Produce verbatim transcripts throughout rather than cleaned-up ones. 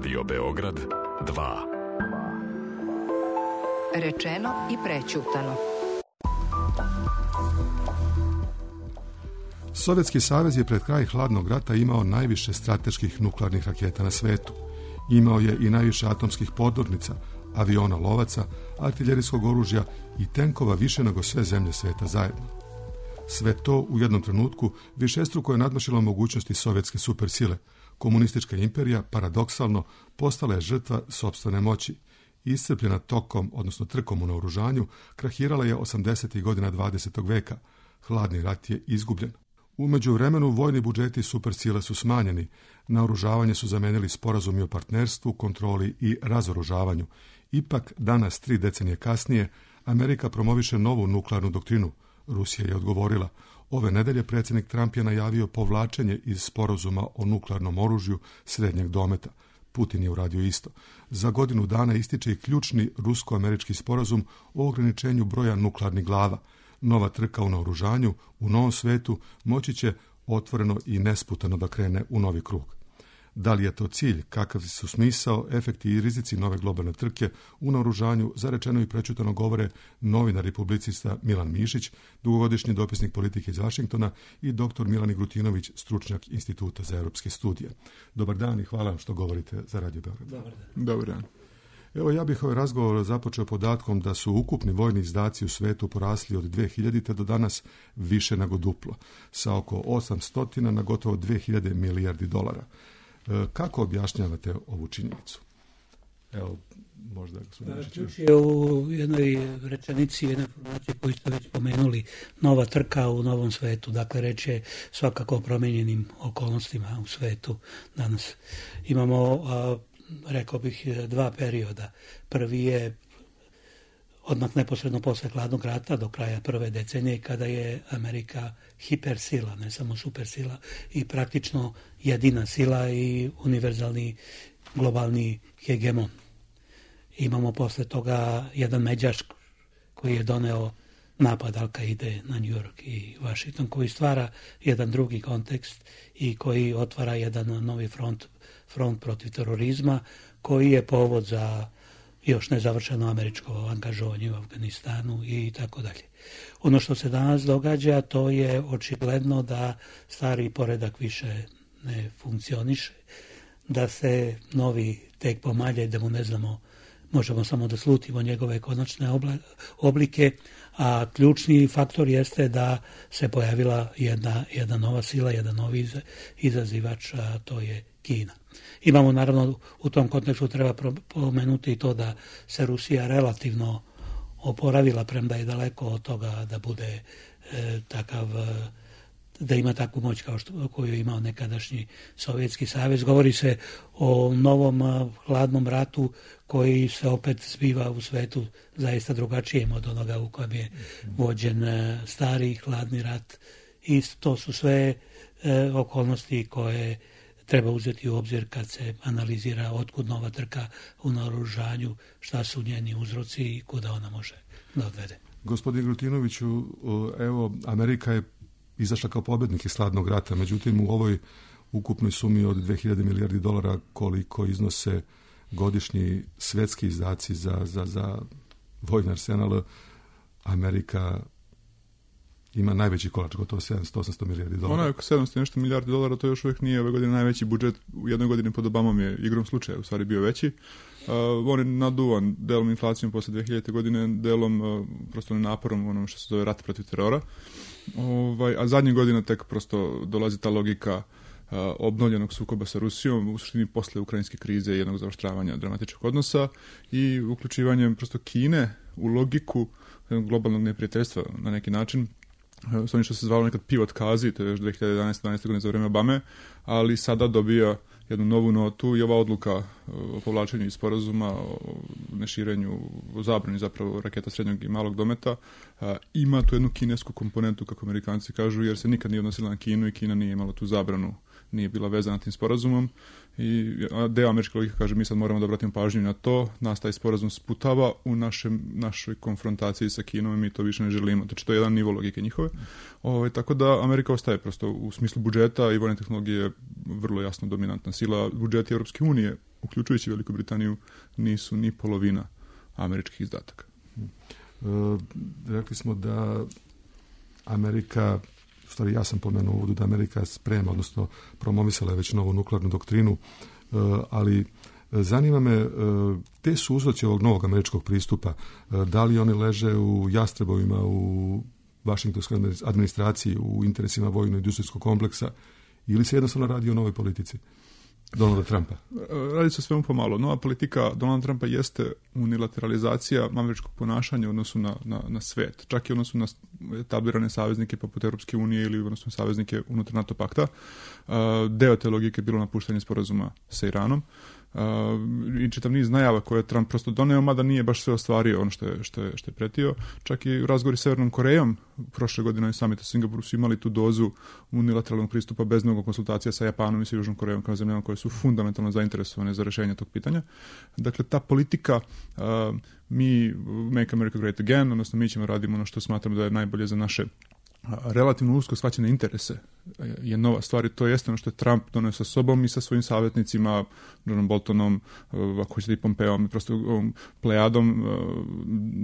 Radio Beograd dva. Rečeno i prećutano. Sovjetski savez je pred kraj hladnog rata imao najviše strateških nuklearnih raketa na svetu. Imao je i najviše atomskih podmornica, aviona lovaca, artiljerijskog oružja i tenkova više nego sve zemlje sveta zajedno. Sve to u jednom trenutku višestruko je nadmašilo mogućnosti sovjetske supersile. Komunistička imperija, paradoksalno, postala je žrtva sopstvene moći. Iscrpljena tokom, odnosno trkom u naoružanju, krahirala je osamdesetih godina dvadesetog veka. Hladni rat je izgubljen. U međuvremenu vojni budžeti supersile su smanjeni. Naoružavanje su zamenili sporazumi o partnerstvu, kontroli i razoružavanju. Ipak, danas, tri decenije kasnije, Amerika promoviše novu nuklearnu doktrinu. Rusija je odgovorila. Ove nedelje predsjednik Trump je najavio povlačenje iz sporazuma o nuklearnom oružju srednjeg dometa. Putin je uradio isto. Za godinu dana ističe i ključni rusko-američki sporazum o ograničenju broja nuklearnih glava. Nova trka u naoružanju u novom svetu moći će otvoreno i nesputano da krene u novi krug. Da li je to cilj, kakav su smisao, efekti i rizici nove globalne trke u naoružanju, zarečeno i prećutano govore novinar i publicista Milan Mišić, dugogodišnji dopisnik politike iz Vašingtona, i doktor Milan Grutinović, stručnjak Instituta za europske studije. Dobar dan i hvala što govorite za Radio Beograd. Dobar dan. Dobar dan. Evo, ja bih ovaj razgovor započeo podatkom da su ukupni vojni izdaci u svetu porasli od dve hiljadite do danas više nego duplo, sa oko osamsto na gotovo dve hiljade milijardi dolara. E, kako objašnjavate ovu činjenicu? Evo, možda gospodin Mišić. Ključ je u jednoj rečenici, jednoj informaciji koju ste već pomenuli, nova trka u novom svetu. Dakle, reč je svakako o promijenjenim okolnostima u svetu danas. Imamo, a, rekao bih, dva perioda. Prvi je odmah neposredno posle hladnog rata do kraja prve decenije, kada je Amerika hipersila, ne samo supersila, i praktično jedina sila i univerzalni globalni hegemon. Imamo posle toga jedan međaš koji je doneo napad Al-Kaide na New York i Washington, koji stvara jedan drugi kontekst i koji otvara jedan novi front, front protiv terorizma, koji je povod za još nezavršeno američko angažovanje u Afganistanu i tako dalje. Ono što se danas događa, to je očigledno da stari poredak više ne funkcioniše, da se novi tek pomalje, da mu ne znamo, možemo samo da slutimo njegove konačne oblike, a ključni faktor jeste da se pojavila jedna, jedna nova sila, jedan novi izazivač, a to je Kina. Imamo, naravno, u tom kontekstu treba pomenuti i to da se Rusija relativno oporavila, premda je daleko od toga da bude e, takav, da ima takvu moć kao što, koju je imao nekadašnji Sovjetski savez. Govori se o novom hladnom ratu koji se opet zbiva u svetu zaista drugačijem od onoga u kojem je vođen stari hladni rat. I to su sve e, okolnosti koje treba uzeti u obzir kad se analizira otkud nova trka u naoružanju, šta su njeni uzroci i kuda ona može da odvede. Gospodin Grutinoviću, evo, Amerika je izašla kao pobjednik iz hladnog rata, međutim u ovoj ukupnoj sumi od dve hiljade milijardi dolara koliko iznose godišnji svetski izdaci za, za, za vojni arsenal, Amerika ima najveći kolač, gotovo sedamsto do osamsto milijardi dolara. Ona je oko sedamsto nešto milijardi dolara, to još uvijek nije ove godine najveći budžet. U jednoj godini pod Obamom je igrom slučaja u stvari bio veći. Uh, on je naduvan delom inflacijom posle dve hiljadite godine, delom uh, prosto naporom onom što se zove rat protiv terora. Ovaj, a zadnjih godina tek prosto dolazi ta logika uh, obnovljenog sukoba sa Rusijom, u suštini posle ukrajinske krize i jednog zaoštravanja dramatičnog odnosa i uključivanjem prosto Kine u logiku globalnog neprijateljstva na neki način. S onim što se zvalo nekad pivot kazi, to je još dve hiljade jedanaeste dvanaeste godine za vreme Obame, ali sada dobija jednu novu notu i ova odluka o povlačenju iz sporazuma, o neširenju, o zabrani zapravo raketa srednjeg i malog dometa, ima tu jednu kinesku komponentu, kako Amerikanci kažu, jer se nikad nije odnosila na Kinu i Kina nije imala tu zabranu, nije bila vezana tim sporazumom. I deo američke logike kaže mi sad moramo da obratimo pažnju na to, nas taj sporazum sputava u našem, našoj konfrontaciji sa Kinom i mi to više ne želimo. Znači to je jedan nivo logike njihove. Ove, tako da Amerika ostaje prosto u smislu budžeta i vojne tehnologije vrlo jasno dominantna sila. Budžeti Europske unije uključujući Veliku Britaniju, nisu ni polovina američkih izdataka. E, rekli smo da Amerika, u stvari ja sam pomenuo uvodu da Amerika sprema, odnosno promovisala je već novu nuklearnu doktrinu, e, ali zanima me, te su uzroci ovog novog američkog pristupa, da li oni leže u jastrebovima, u vašingtonskoj administraciji, u interesima vojno-industrijskog kompleksa, ili se jednostavno radi o novoj politici Donalda Trumpa? Radi se svemu pomalo. Nova politika Donalda Trumpa jeste unilateralizacija američkog ponašanja u odnosu na, na, na svet. Čak i u odnosu na etablirane saveznike poput Europske unije ili u odnosu na saveznike unutar NATO pakta. Deo te logike je bilo napuštanje sporazuma sa Iranom. Uh, i čitav niz najava koje je Trump prosto doneo, mada nije baš sve ostvario ono što je, što je, što je pretio. Čak i u razgovori s Severnom Korejom prošle godine na samitu u Singapuru su imali tu dozu unilateralnog pristupa bez mnogo konsultacija sa Japanom i sa Južnom Korejom kao zemljama koje su fundamentalno zainteresovane za rješenje tog pitanja. Dakle, ta politika uh, mi Make America Great Again, odnosno mi ćemo radimo ono što smatramo da je najbolje za naše relativno usko shvaćene interese je nova stvar i to jeste ono što je Trump donio sa sobom i sa svojim savjetnicima, Johnom Boltonom, ako hoćete i Pompeom, i prosto ovom plejadom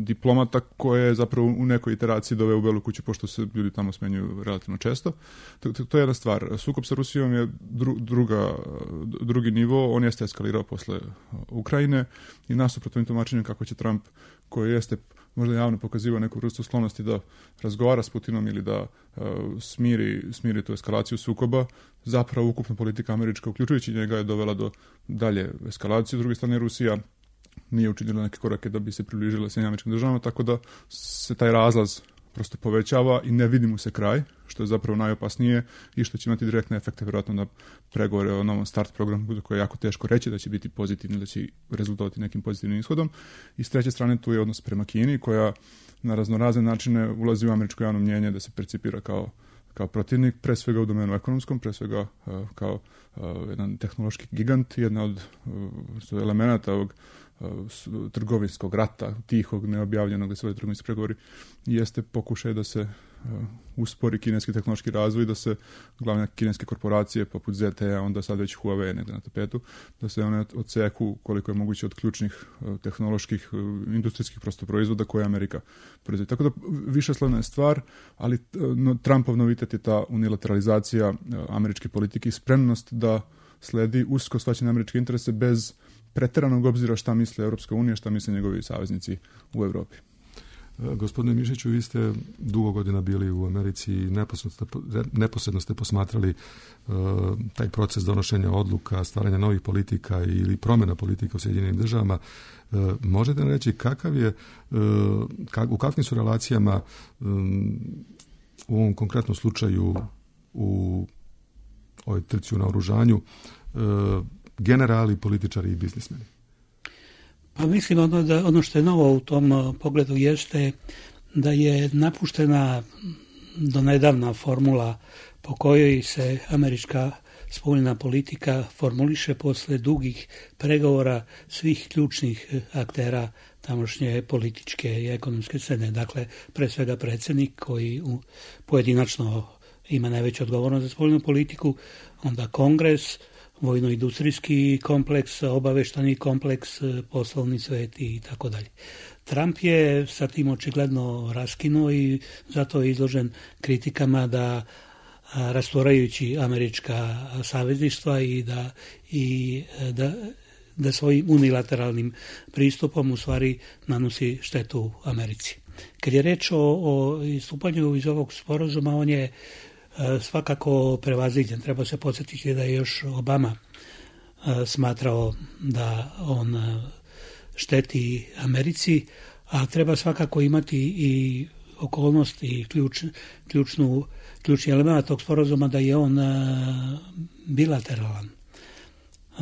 diplomata koje je zapravo u nekoj iteraciji doveo u Belu kuću, pošto se ljudi tamo smenjuju relativno često. To, to, to je jedna stvar. Sukob sa Rusijom je dru, druga, drugi nivo, on jeste eskalirao posle Ukrajine i nasuprot ovim tumačenjem kako će Trump, koji jeste možda javno pokazivao neku vrstu sklonosti da razgovara s Putinom ili da uh, smiri, smiri tu eskalaciju sukoba, zapravo ukupna politika američka, uključujući njega, je dovela do dalje eskalacije. S druge strane, Rusija nije učinila neke korake da bi se približila Sjedinjenim Američkim Državama, tako da se taj razlaz prosto povećava i ne vidi mu se kraj, što je zapravo najopasnije i što će imati direktne efekte vjerojatno na pregovore o novom start programu, za koje je jako teško reći da će biti pozitivni, da će rezultovati nekim pozitivnim ishodom. I s treće strane tu je odnos prema Kini, koja na raznorazne načine ulazi u američko javno mnjenje da se percipira kao, kao protivnik, pre svega u domenu ekonomskom, pre svega uh, kao uh, jedan tehnološki gigant, jedna od uh, elemenata ovog trgovinskog rata, tihog, neobjavljenog, da se vode trgovinski pregovori, jeste pokušaj da se uh, uspori kineski tehnološki razvoj, da se glavne kineske korporacije poput Z T E, onda sad već Huawei negdje na tapetu, da se one odseku koliko je moguće od ključnih uh, tehnoloških, uh, industrijskih prosto proizvoda koje Amerika proizvodi. Tako da višeslovna je stvar, ali uh, no, Trumpov novitet je ta unilateralizacija uh, američke politike i spremnost da sledi usko shvaćene američke interese bez pretjeranog obzira šta misle Europska unija, šta misle njegovi saveznici u Europi. Gospodine Mišiću, vi ste dugo godina bili u Americi i neposredno ste, neposredno ste posmatrali uh, taj proces donošenja odluka, stvaranja novih politika ili promjena politika u Sjedinjenim Državama. Uh, možete nam reći kakav je, uh, kak, u kakvim su relacijama um, u ovom konkretnom slučaju u ovoj trci u naoružanju uh, generali, političari i biznismeni? Pa mislim ono, da, ono što je novo u tom pogledu jeste da je napuštena do nedavna formula po kojoj se američka spoljna politika formuliše posle dugih pregovora svih ključnih aktera tamošnje političke i ekonomske scene. Dakle, pre svega predsjednik koji u, pojedinačno ima najveću odgovornost za spoljnu politiku, onda Kongres, vojno-industrijski kompleks, obaveštani kompleks, poslovni svet i tako dalje. Trump je sa tim očigledno raskinuo i zato je izložen kritikama da rastvorajući američka savezništva i da, i da, da svojim unilateralnim pristupom u stvari nanosi štetu Americi. Kad je reč o, o istupanju iz ovog sporazuma, on je svakako prevaziđen. Treba se podsjetiti da je još Obama smatrao da on šteti Americi, a treba svakako imati i okolnost i ključ, ključnu, ključni element tog sporazuma da je on bilateralan.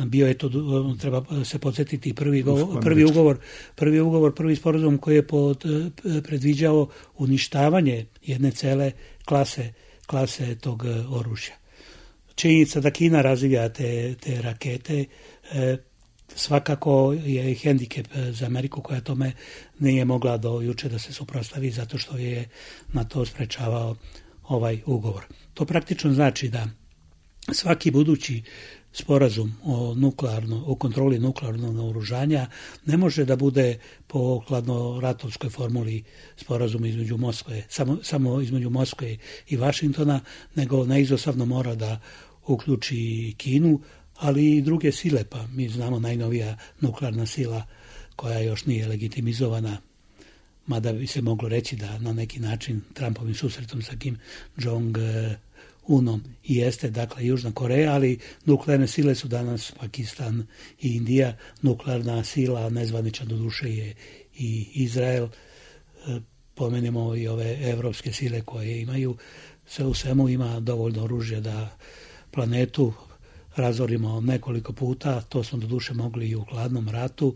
Bio je to, treba se podsjetiti, prvi, go, prvi ugovor, prvi ugovor, prvi sporazum koji je pod, predviđao uništavanje jedne cele klase klase tog oružja. Činjenica da Kina razvija te, te rakete e, svakako je hendikep za Ameriku koja tome nije mogla do juče da se suprotstavi zato što je na to sprečavao ovaj ugovor. To praktično znači da svaki budući sporazum o nuklearno, o kontroli nuklearnog naoružanja ne može da bude po hladnoratovskoj formuli sporazum između Moskve, samo, samo između Moskve i Vašingtona, nego neizostavno mora da uključi i Kinu, ali i druge sile, pa mi znamo najnovija nuklearna sila koja još nije legitimizovana, mada bi se moglo reći da na neki način Trumpovim susretom sa Kim Jong-unom i jeste, dakle, Južna Koreja, ali nuklearne sile su danas Pakistan i Indija, nuklearna sila, nezvanična doduše, je i Izrael. Pomenemo i ove evropske sile koje imaju, sve u svemu ima dovoljno oružja da planetu razorimo nekoliko puta, to smo doduše mogli i u hladnom ratu,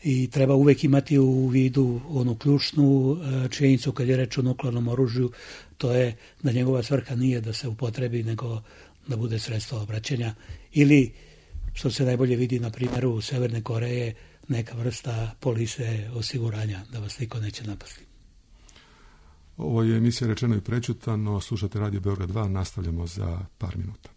i treba uvek imati u vidu onu ključnu činjenicu kad je reč o nuklearnom oružju, to je da njegova svrha nije da se upotrebi, nego da bude sredstvo obraćanja ili, što se najbolje vidi na primjeru Severne Koreje, neka vrsta polise osiguranja, da vas niko neće napasti. Ovo je emisija Rečeno i prećutano, slušate Radio Beograd dva, nastavljamo za par minuta.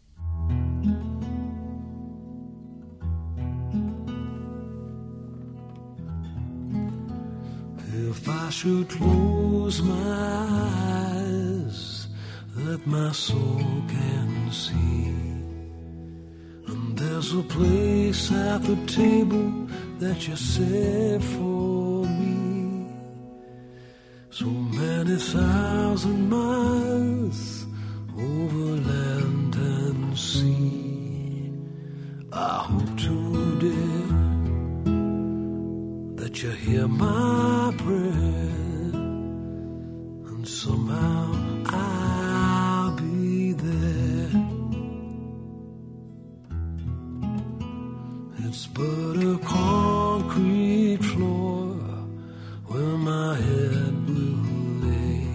If I should close my eyes, that my soul can see, and there's a place at the table that you set for me, so many thousand miles over land and sea, I hope today that you hear my prayer, and somehow I'll be there. It's but a concrete floor where my head will lay,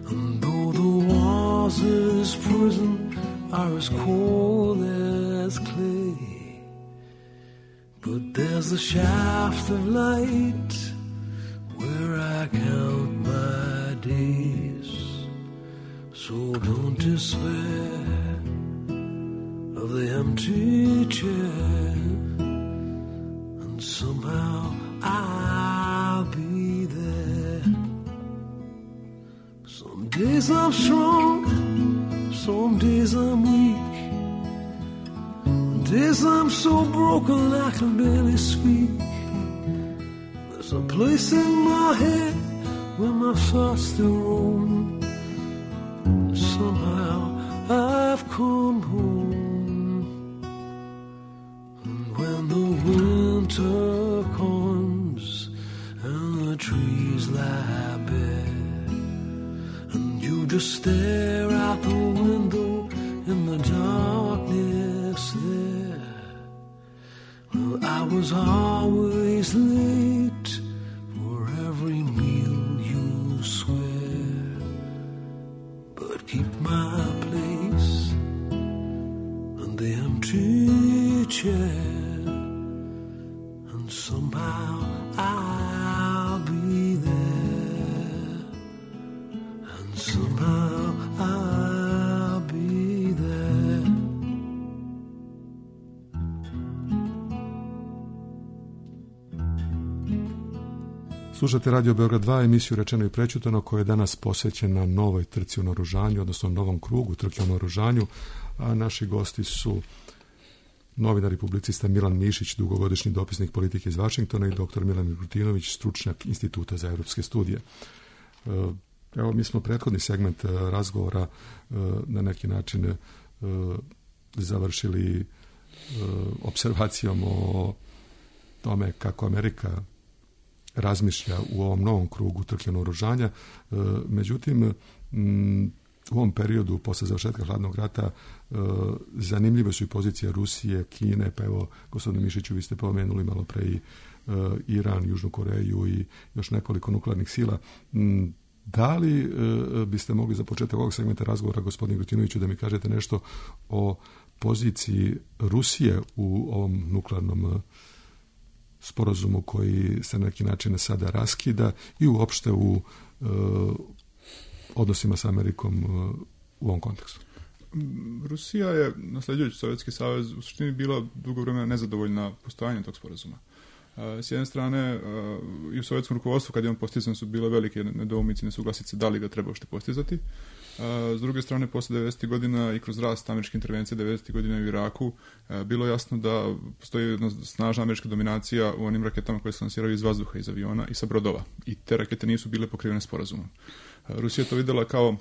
and though the walls of this prison are as cold as clay, but there's a shaft of light where I count my days. So don't despair of the empty chair, and somehow I'll be there. Some days I'm strong, some days I'm weak, days I'm so broken I can barely speak. There's a place in my head where my thoughts still roam. Somehow I've come home. And when the winter comes and the trees lie bare, and you just stare out the window in the darkness there, well, I was always late for every meal you swear, but keep my place in the empty chair, and somehow I'll be there, and somehow I'll be there. Slušate Radio Beograd dva, emisiju Rečeno i prećutano, koja je danas posvećena novoj trci o naoružanju, odnosno novom krugu trke o naoružanju, a naši gosti su novinar i publicista Milan Mišić, dugogodišnji dopisnik politike iz Vašingtona, i doktor Milan Miluntinović, stručnjak Instituta za evropske studije. Evo, mi smo prethodni segment razgovora na neki način završili observacijom o tome kako Amerika razmišlja u ovom novom krugu trke naoružanja. Međutim, u ovom periodu, posle završetka hladnog rata, zanimljive su i pozicije Rusije, Kine, pa evo, gospodine Mišiću, vi ste pomenuli malo pre i Iran, Južnu Koreju i još nekoliko nuklearnih sila. Da li biste mogli za početak ovog segmenta razgovora, gospodine Miluntinoviću, da mi kažete nešto o poziciji Rusije u ovom nuklearnom sporazumu koji se na neki način sada raskida i uopšte u e, odnosima sa Amerikom e, u ovom kontekstu? Rusija je, nasljeđujući Sovjetski savez, u suštini bila dugo vremena nezadovoljna postojanjem tog sporazuma. S jedne strane, i u sovjetskom rukovodstvu, kad je on postizan, su bile velike nedoumice, nesuglasice da li ga treba uopšte postizati. S druge strane, posle devedesetih godina i kroz rast američke intervencije devedesetih godina u Iraku, bilo je jasno da postoji jedna snažna američka dominacija u onim raketama koje se lansiraju iz vazduha, iz aviona i sa brodova. I te rakete nisu bile pokrivene sporazumom. Rusija je to videla kao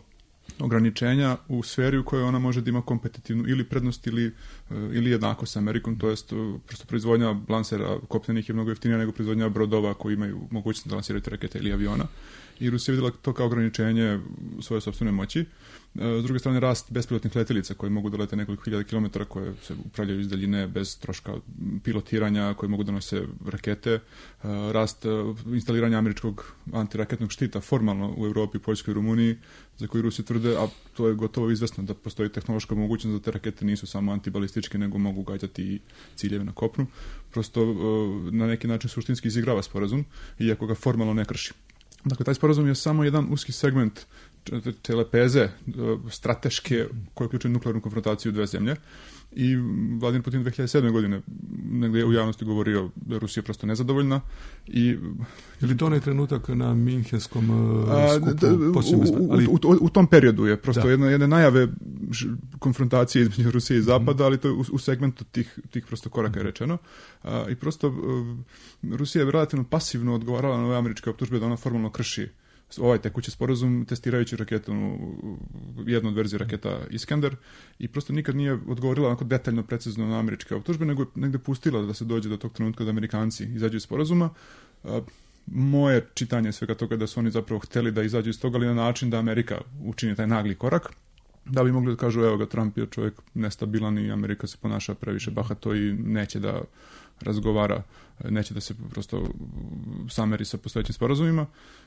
ograničenja u sferi u kojoj ona može da ima kompetitivnu ili prednost ili, ili jednako sa Amerikom, to jest prosto proizvodnja lansera kopnenih je mnogo jeftinija nego proizvodnja brodova koji imaju mogućnost da lansiraju te rakete ili aviona. I Rusija je vidjela to kao ograničenje svoje sopstvene moći. S druge strane, rast bespilotnih letelica koje mogu da lete nekoliko hiljada kilometara, koje se upravljaju iz daljine bez troška pilotiranja, koje mogu da nose rakete. Rast instaliranja američkog antiraketnog štita formalno u Europi, Poljskoj i Rumuniji, za koji Rusi tvrde, a to je gotovo izvesno da postoji tehnološka mogućnost da te rakete nisu samo antibalističke, nego mogu gađati i ciljeve na kopnu. Prosto na neki način suštinski izigrava sporazum, iako ga formalno ne krši. Dakle, taj sporazum je samo jedan uski segment te lepeze strateške koje uključuje nuklearnu konfrontaciju dve zemlje. I Vladimir Putin dve hiljade sedme. godine negdje u javnosti govorio da je Rusija prosto nezadovoljna. I, je li to onaj trenutak na Minhenskom skupu? U, ali... u, u, u tom periodu je prosto jedne, jedne najave konfrontacije između Rusije i Zapada, ali to je u, u segmentu tih, tih prosto koraka je rečeno. A, I prosto Rusija je relativno pasivno odgovarala na ove američke optužbe da ona formalno krši ovaj tekući sporazum testirajući raketu, jednu od verzije raketa Iskander, i prosto nikad nije odgovorila onako detaljno, precizno na američke optužbe, nego je negde pustila da se dođe do tog trenutka da Amerikanci izađu iz sporazuma. Moje čitanje svega toga da su oni zapravo hteli da izađu iz toga, ali na način da Amerika učini taj nagli korak, da bi mogli da kažu, evo ga, Trump je čovjek nestabilan i Amerika se ponaša previše bahato i neće da razgovara, neće da se prosto sameri sa postojećim sporazumima.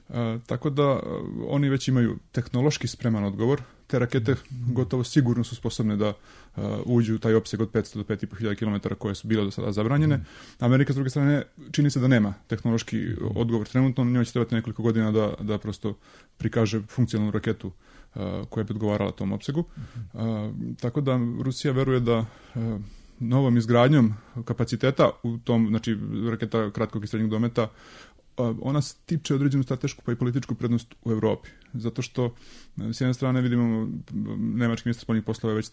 E, tako da oni već imaju tehnološki spreman odgovor. Te rakete gotovo sigurno su sposobne da uh, uđu u taj opseg od petsto do pet i po hiljada kilometara koje su bile do sada zabranjene. Amerika, s druge strane, čini se da nema tehnološki odgovor. Trenutno njoj će trebati nekoliko godina da, da prosto prikaže funkcionalnu raketu uh, koja bi odgovarala tom opsegu. Uh, tako da Rusija veruje da uh, novom izgradnjom kapaciteta u tom, znači raketa kratkog i srednjeg dometa, ona stiče određenu stratešku pa i političku prednost u Europi. Zato što s jedne strane vidimo nemački ministar spoljnih poslova već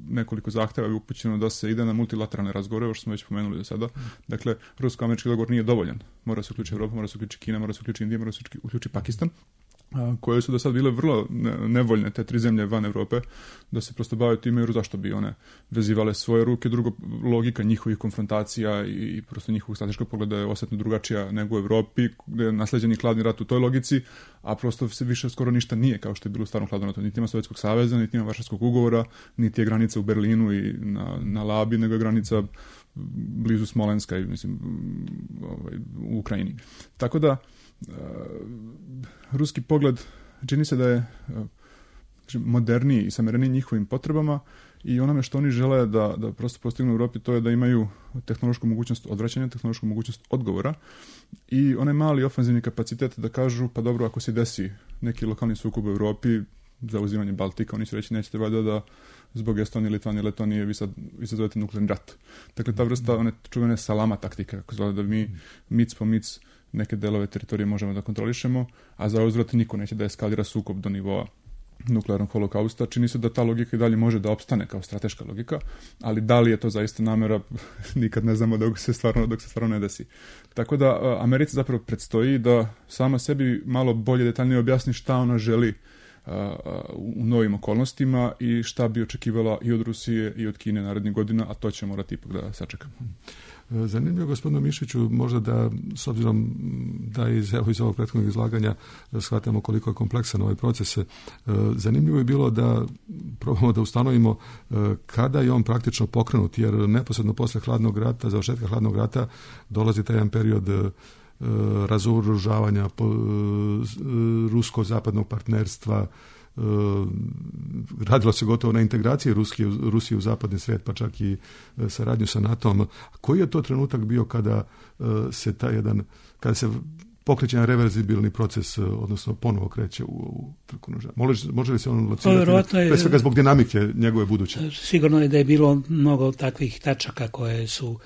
nekoliko zahtjeva je upućeno da se ide na multilateralne razgovore, ovo što smo već pomenuli do sada. Dakle, rusko-američki dogovor nije dovoljan. Mora se uključiti Evropa, mora se uključiti Kina, mora se uključiti Indija, mora se uključiti Pakistan, koje su do sad bile vrlo nevoljne, te tri zemlje van Europe, da se prosto bave time, jer zašto bi one vezivale svoje ruke. Drugo, logika njihovih konfrontacija i prosto njihovog strateškog pogleda je osjetno drugačija nego u Europi, gdje je nasleđeni hladni rat u toj logici, a prosto se više skoro ništa nije kao što je bilo u starom hladnom ratu. Niti ima Sovjetskog saveza, niti ima Varšavskog ugovora, niti je granica u Berlinu i na, na Labi, nego je granica blizu Smolenska i mislim ovaj, u Ukrajini. Tako da Uh, ruski pogled čini se da je uh, moderniji i samereniji njihovim potrebama i onome što oni žele da, da prosto postignu u Europi, to je da imaju tehnološku mogućnost odvraćanja, tehnološku mogućnost odgovora i onaj mali ofenzivni kapacitet da kažu, pa dobro, ako se desi neki lokalni sukob u Europi, zauzimanje Baltika, oni će reći, nećete valjda da zbog Estonije, Litvanije, Letonije vi sad, vi sad zovete nuklearni rat. Dakle, ta vrsta one čuvene salama taktika, kako zove da mi mic po mic neke delove teritorije možemo da kontrolišemo, a za uzvrat niko neće da eskalira sukob do nivoa nuklearnog holokausta. Čini se da ta logika i dalje može da opstane kao strateška logika, ali da li je to zaista namera, nikad ne znamo dok se stvarno, dok se stvarno ne desi. Tako da Americi zapravo predstoji da sama sebi malo bolje, detaljnije objasni šta ona želi uh, u novim okolnostima i šta bi očekivala i od Rusije i od Kine narednih godina, a to će morati ipak da sačekamo. Zanimljivo, gospodinu Mišiću, možda da, s obzirom da iz, evo, iz ovog prethodnog izlaganja shvatamo koliko je kompleksan ovaj proces, zanimljivo je bilo da probamo da ustanovimo kada je on praktično pokrenut, jer neposredno posle hladnog rata, završetka hladnog rata, dolazi taj jedan period razoružavanja rusko-zapadnog partnerstva. Radilo se gotovo na integraciji Rusije, Rusije u zapadni svijet, pa čak i saradnju sa NATO-om. Koji je to trenutak bio kada se taj jedan, kada se pokreće reverzibilni proces, odnosno ponovo kreće u, u trku noža. Može, može li se on locirati, pre svega zbog dinamike njegove buduće? Sigurno je da je bilo mnogo takvih tačaka koje su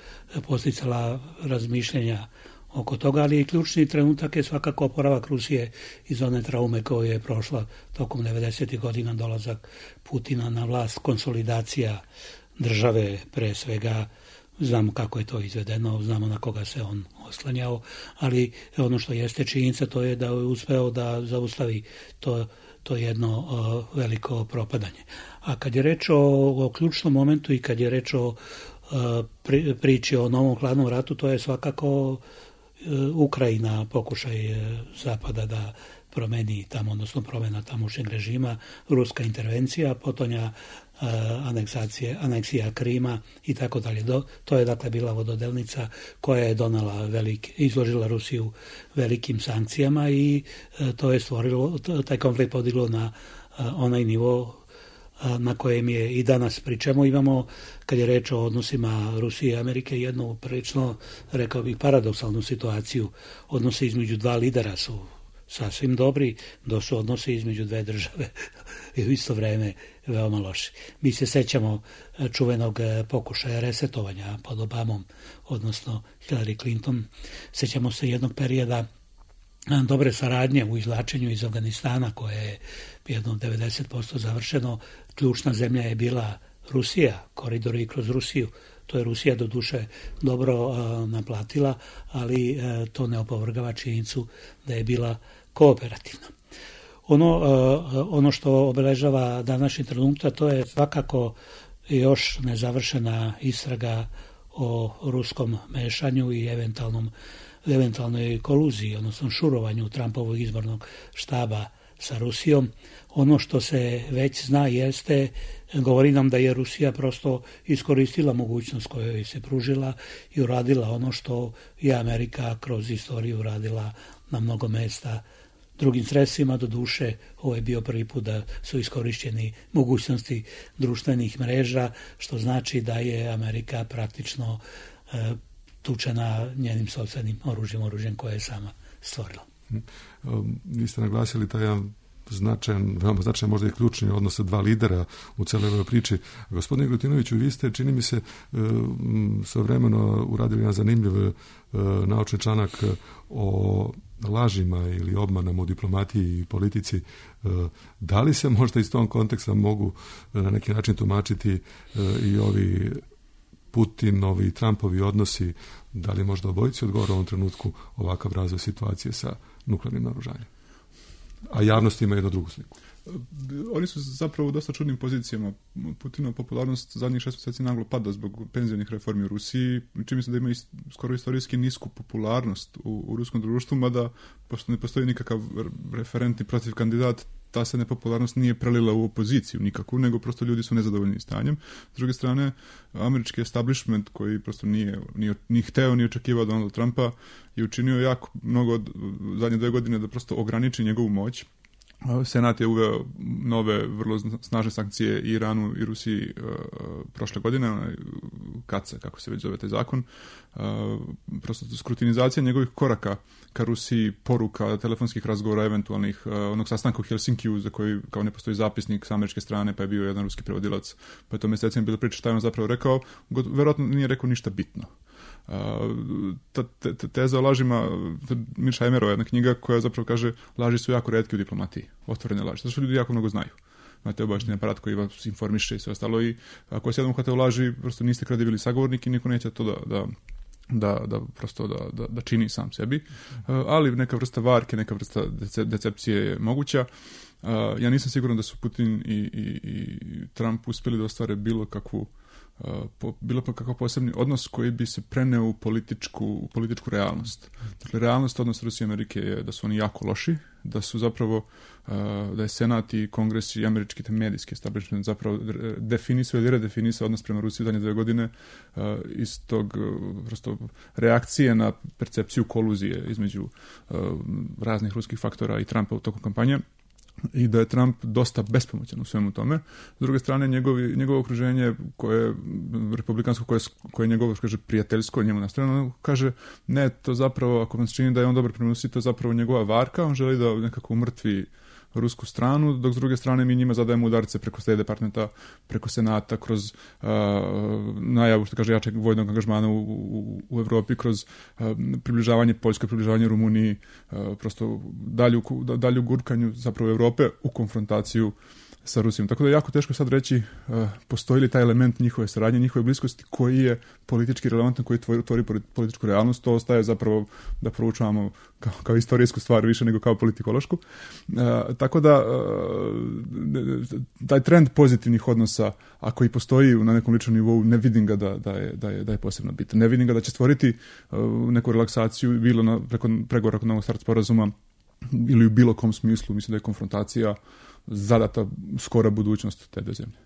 posticala razmišljenja oko toga, ali ključni trenutak je svakako oporavak Rusije iz one traume koju je prošla tokom devedesetih godina, dolazak Putina na vlast, konsolidacija države, pre svega znamo kako je to izvedeno, znamo na koga se on oslanjao, ali ono što jeste činjenica to je da je uspeo da zaustavi to, to jedno uh, veliko propadanje. A kad je reč o, o ključnom momentu i kad je reč o uh, pri, priči o novom hladnom ratu, to je svakako uh, Ukrajina, pokušaj uh, Zapada da promeni tamo, odnosno promena tamošnjeg režima, ruska intervencija, potonja uh, aneksacije, aneksija Krima i tako dalje. To je dakle bila vododelnica koja je donala velik, izložila Rusiju velikim sankcijama i uh, to je stvorilo, taj konflikt podiglo na uh, onaj nivo uh, na kojem je i danas. Pri čemu imamo, kad je reč o odnosima Rusije i Amerike, jednu prilično, rekao bih, paradoksalnu situaciju. Odnose između dva lidera su sasvim dobri, do su odnose između dve države i u isto vreme veoma loši. Mi se sećamo čuvenog pokušaja resetovanja pod Obamom, odnosno Hillary Clinton. Sećamo se jednog perioda dobre saradnje u izvlačenju iz Afganistana, koje je jedno devedeset posto završeno. Ključna zemlja je bila Rusija, koridori kroz Rusiju. To je Rusija do duše dobro uh, naplatila, ali uh, to ne opovrgava činjenicu da je bila kooperativna. Ono, uh, ono što obeležava današnji trenutak, to je svakako još nezavršena istraga o ruskom mešanju i eventualnom, eventualnoj koluziji, odnosno šurovanju Trumpovog izbornog štaba sa Rusijom. Ono što se već zna jeste, govori nam da je Rusija prosto iskoristila mogućnost koju joj se pružila i uradila ono što je Amerika kroz istoriju uradila na mnogo mesta drugim sredstvima. Do duše, ovo je bio prvi put da su iskorišćeni mogućnosti društvenih mreža, što znači da je Amerika praktično e, tučena njenim sopstvenim oružjem, oružjem koje je sama stvorila. Vi ste naglasili taj jedan značajan, veoma značajan, možda i ključni odnos dva lidera u celoj ovoj priči. Gospodine Glutinoviću, vi ste, čini mi se, svojevremeno uradili jedan zanimljiv naučni članak o lažima ili obmanama u diplomatiji i politici. Da li se možda iz tom konteksta mogu na neki način tumačiti i ovi Putinovi i Trumpovi odnosi, da li možda obojici odgovara u ovom trenutku ovakav razvoj situacije sa nuklearnim naoružanjem? A javnost ima jednu drugu sliku. Oni su zapravo u dosta čudnim pozicijama. Putinova popularnost zadnjih šest mjeseci naglo pada zbog penzionih reformi u Rusiji, čini se da ima ist, skoro istorijski nisku popularnost u, u ruskom društvu, mada pošto ne postoji nikakav referentni protiv kandidat, ta se nepopularnost nije prelila u opoziciju nikakvu, nego prosto ljudi su nezadovoljni stanjem. S druge strane, američki establishment, koji prosto nije, nije, nije hteo ni očekivao Donalda Trumpa, je učinio jako mnogo od zadnje dve godine da prosto ograniči njegovu moć. Senat je uveo nove vrlo snažne sankcije i Iranu i Rusiji uh, prošle godine, onaj kaca, kako se već zove taj zakon. Uh, prosto skrutinizacija njegovih koraka ka Rusiji, poruka, telefonskih razgovora, eventualnih, uh, onog sastanka u Helsinkiju za koji kao ne postoji zapisnik sa američke strane, pa je bio jedan ruski prevodilac, pa je to mjesecima bilo priča šta je on zapravo rekao, verovatno nije rekao ništa bitno. Uh, ta, te, te, teza o lažima, Mirša Emerova, jedna knjiga koja zapravo kaže laži su jako retke u diplomatiji, otvorene laži, zato što ljudi jako mnogo znaju. Imate obavešteni aparat koji vas informiše i sve ostalo i ako se jednom uhvate u laži, prosto niste kredibilni sagovornik i niko neće to da, da, da, da prosto da, da, da čini sam sebi, uh, ali neka vrsta varke, neka vrsta dece, decepcije je moguća. Uh, ja nisam siguran da su Putin i, i, i Trump uspjeli da ostvare bilo kakvu Uh, po, bilo pa kakav posebni odnos koji bi se preneo u političku, u političku realnost. Dakle, realnost odnos Rusije i Amerike je da su oni jako loši, da su zapravo, uh, da je Senat i Kongres i američki te medijski establishment zapravo definisao ili redefinisao odnos prema Rusiji u zadnje dve godine uh, iz tog uh, prosto reakcije na percepciju koluzije između uh, raznih ruskih faktora i Trumpa u toku kampanje. i da je Trump dosta bespomoćan u svemu tome. S druge strane, njegovi, njegovo okruženje koje je republikansko, koje, koje je njegovo, kaže, prijateljsko, njemu nastrojeno, kaže, ne, to zapravo, ako vam se čini da je on dobar prema Rusiji, to je zapravo njegova varka, on želi da nekako umrtvi rusku stranu, dok s druge strane mi njima zadajemo udarce preko State Departmenta, preko Senata, kroz uh, najavu, što kaže, jačeg vojnog angažmana u, u, u Evropi, kroz uh, približavanje Poljskoj, približavanje Rumuniji, uh, prosto dalju, dalju gurkanju zapravo Evrope u konfrontaciju sa Rusijom. Tako da je jako teško sad reći uh, postoji li taj element njihove saradnje, njihove bliskosti koji je politički relevantan, koji tvori, tvori političku realnost. To ostaje zapravo da proučavamo kao, kao istorijsku stvar više nego kao politikološku. Uh, tako da uh, taj trend pozitivnih odnosa, ako i postoji na nekom ličnom nivou, ne vidim ga da, da, je, da, je, da je posebno bitan. Ne vidim ga da će stvoriti uh, neku relaksaciju bilo na, preko pregovora kod novog start sporazuma ili u bilo kom smislu. Mislim da je konfrontacija zadata skora budućnost te dve zemlje.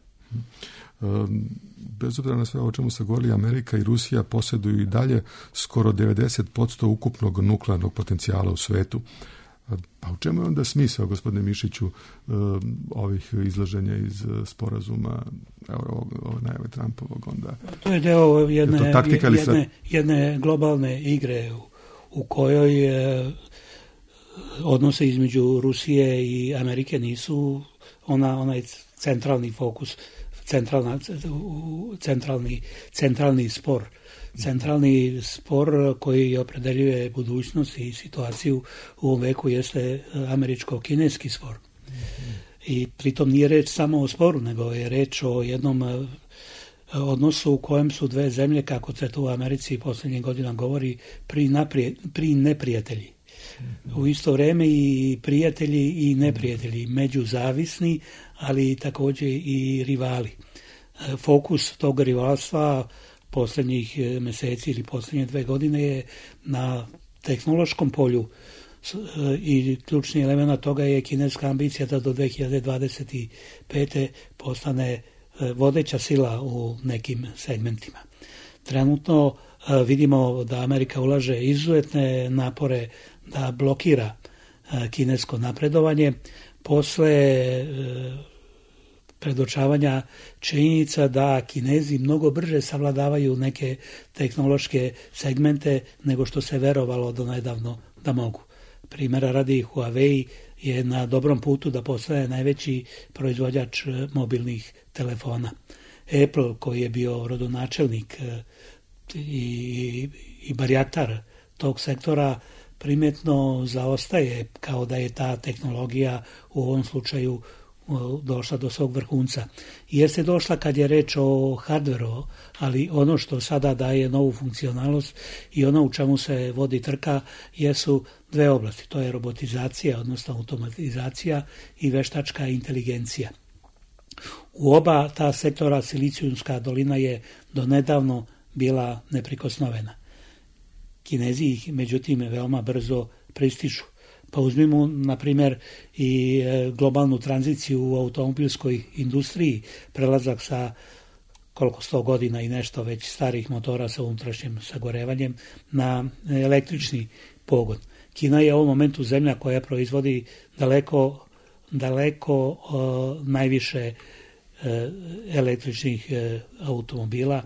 Bez obzira na sve o čemu se govori, Amerika i Rusija posjeduju i dalje skoro devedeset posto ukupnog nuklearnog potencijala u svetu. Pa u čemu je onda smisao, gospodine Mišiću, ovih izlaženja iz sporazuma, evo, ove najave Trumpovog onda? To je deo jedne, je taktika ili jedne, jedne globalne igre u, u kojoj je odnose između Rusije i Amerike nisu ona, onaj centralni fokus, centralna, centralni, centralni spor. Centralni spor koji opredeljuje budućnost i situaciju u ovom veku jeste američko-kineski spor. I pritom nije reč samo o sporu, nego je reč o jednom odnosu u kojem su dve zemlje, kako se to u Americi posljednjih godina govori, pri, naprije, pri neprijatelji. U isto vrijeme i prijatelji i neprijatelji, međuzavisni, ali također i rivali. Fokus tog rivalstva posljednjih mjeseci ili posljednje dve godine je na tehnološkom polju i ključni element toga je kineska ambicija da do dve hiljade dvadeset pete postane vodeća sila u nekim segmentima. Trenutno vidimo da Amerika ulaže izuzetne napore da blokira kinesko napredovanje posle predočavanja činjenica da Kinezi mnogo brže savladavaju neke tehnološke segmente nego što se verovalo do nedavno da mogu. Primjera radi, Huawei je na dobrom putu da postane najveći proizvođač mobilnih telefona. Apple, koji je bio rodonačelnik i, i barjatar tog sektora, primjetno zaostaje, kao da je ta tehnologija u ovom slučaju došla do svog vrhunca. Jeste došla kad je reč o hardveru, ali ono što sada daje novu funkcionalnost i ono u čemu se vodi trka jesu dve oblasti. To je robotizacija, odnosno automatizacija i veštačka inteligencija. U oba ta sektora Silicijumska dolina je donedavno bila neprikosnovena. Kinezi ih, međutim, veoma brzo pristižu. Pa uzmimo, na primjer, i globalnu tranziciju u automobilskoj industriji, prelazak sa koliko sto godina i nešto već starih motora sa unutrašnjim sagorevanjem na električni pogon. Kina je u ovom momentu zemlja koja proizvodi daleko, daleko uh, najviše uh, električnih uh, automobila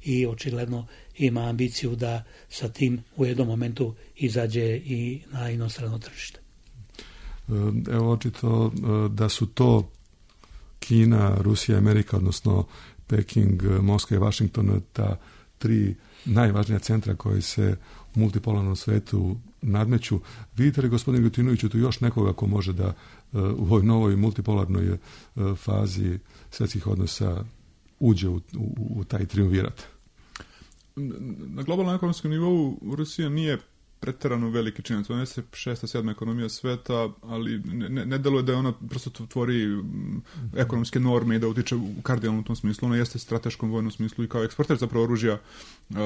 i očigledno ima ambiciju da sa tim u jednom momentu izađe i na inostrano tržište. Evo, očito da su to Kina, Rusija, Amerika, odnosno Peking, Moskva i Washington, ta tri najvažnija centra koji se u multipolarnom svetu nadmeću. Vidite li, gospodine Ljutinoviću, tu još nekoga ko može da u ovoj novoj multipolarnoj fazi svjetskih odnosa uđe u, u, u taj triumvirat? Na globalnom ekonomskom nivou Rusija nije preterano veliki činac. Ona je šesta, sedma ekonomija sveta, ali ne, ne, ne deluje da je ona prosto tvori ekonomske norme i da utiče u kardinalnom tom smislu. Ona jeste strateškom vojnom smislu i kao eksporter zapravo oružja uh,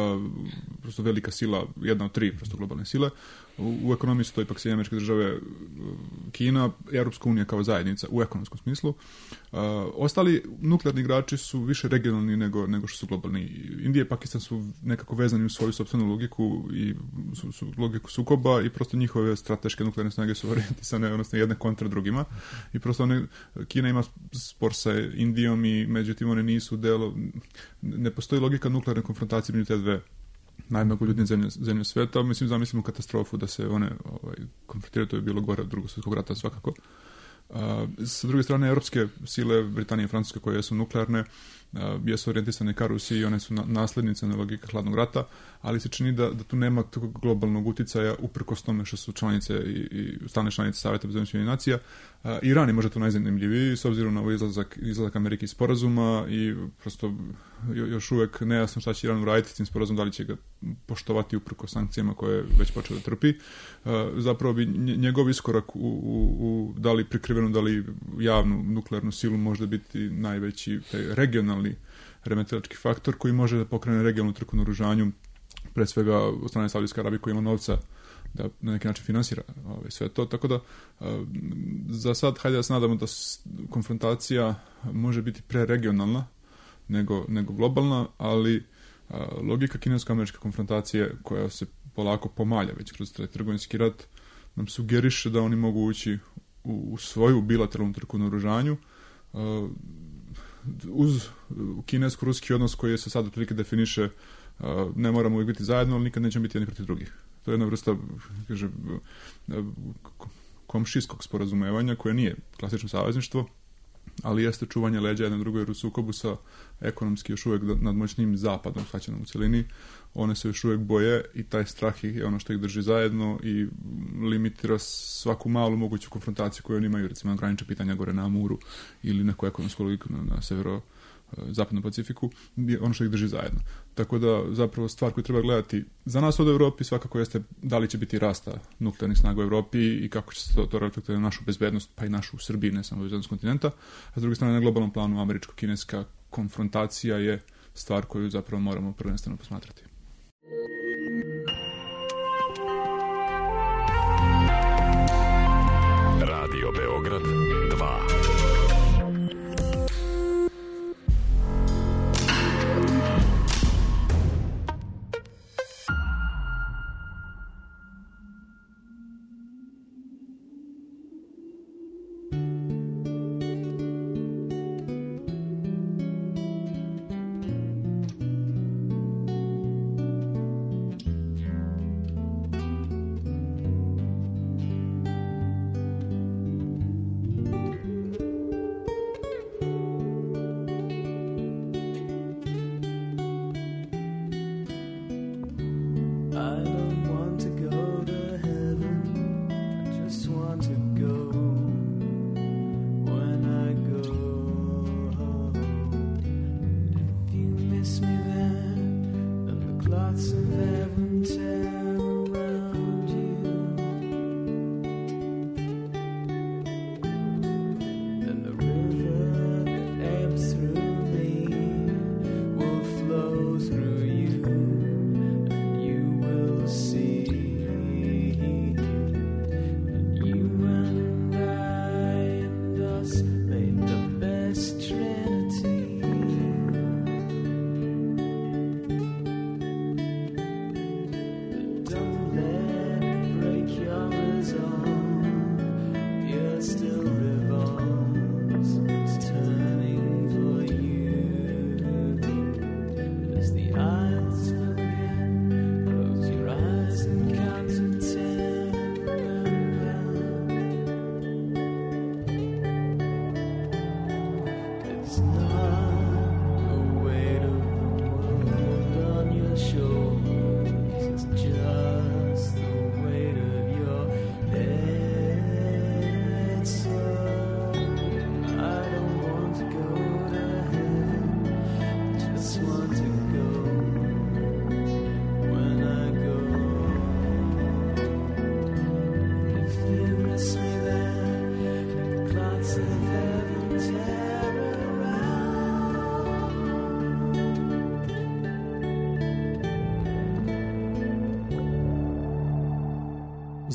prosto velika sila, jedna od tri prosto globalne sile. U, u ekonomiji su to ipak Sjedinjene Američke Države, Kina, Europska unija kao zajednica u ekonomskom smislu. Uh, ostali nuklearni igrači su više regionalni nego, nego što su globalni. Indija i Pakistan su nekako vezani u svoju sopstvenu logiku i su, su logiku sukoba i prosto njihove strateške nuklearne snage su orijentisane, odnosno jedne kontra drugima. I prosto one, Kina ima spor sa Indijom i međutim one nisu delo, ne postoji logika nuklearne konfrontacije među te dve najmnogoljudnije zemlje, zemlje sveta. Mislim, zamislimo katastrofu da se one ovaj, konfrontiraju, to je bilo gore od drugog svjetskog rata svakako. Uh, sa druge strane, europske sile, Britanije i Francuske, koje su nuklearne, uh, jesu orijentisane ka Rusiji i one su na, naslednice na logike hladnog rata, ali se čini da, da tu nema tog globalnog uticaja uprkos tome što su članice i, i stalne članice Saveta bezbednosti nacija. Uh, Iran je možda tu najzanimljiviji s obzirom na ovaj izlazak, izlazak Amerike iz sporazuma i prosto još uvek nejasno šta će Iran uraditi s tim sporazumom, da li će ga poštovati uprkos sankcijama koje je već počeo da trpi. Uh, zapravo bi njegov iskorak u, u, u da li prikrivenu, da li javnu nuklearnu silu može biti najveći taj regionalni remetilački faktor koji može da pokrene regionalnu trku na oružanju, pre svega od strane Saudijske Arabije koja ima novca da na neki način finansira ovaj, sve to. Tako da uh, za sad hajde da se nadamo da konfrontacija može biti preregionalna nego, nego globalna, ali uh, logika kinesko-američke konfrontacije koja se polako pomalja već kroz taj trgovinski rat nam sugeriše da oni mogu ući u, u svoju bilateralnu trku na oružanju uh, uz kinesko-ruski odnos koji se sad otprilike definiše uh, ne moramo uvijek biti zajedno, ali nikad nećemo biti jedni protiv drugih. To je jedna vrsta, kaže, komšijskog sporazumevanja koje nije klasično savezništvo, ali jeste čuvanje leđa jedno drugo, jer u sukobu sa ekonomski još uvijek nadmoćnim zapadom shvaćenom u celini, one se još uvijek boje i taj strah je ono što ih drži zajedno i limitira svaku malu moguću konfrontaciju koju oni imaju, recimo na granična pitanja gore na Amuru ili neku ekonomsku logiku na, na severo zapadnom Pacifiku, ono što ih drži zajedno. Tako da zapravo stvar koju treba gledati za nas od Evropi svakako jeste da li će biti rasta nuklearnih snaga u Evropi i kako će se to, to reflektovati na našu bezbednost, pa i našu u Srbiji, ne samo bezbednost kontinenta. A s druge strane, na globalnom planu američko-kineska konfrontacija je stvar koju zapravo moramo prvenstveno posmatrati. Radio Beograd dva.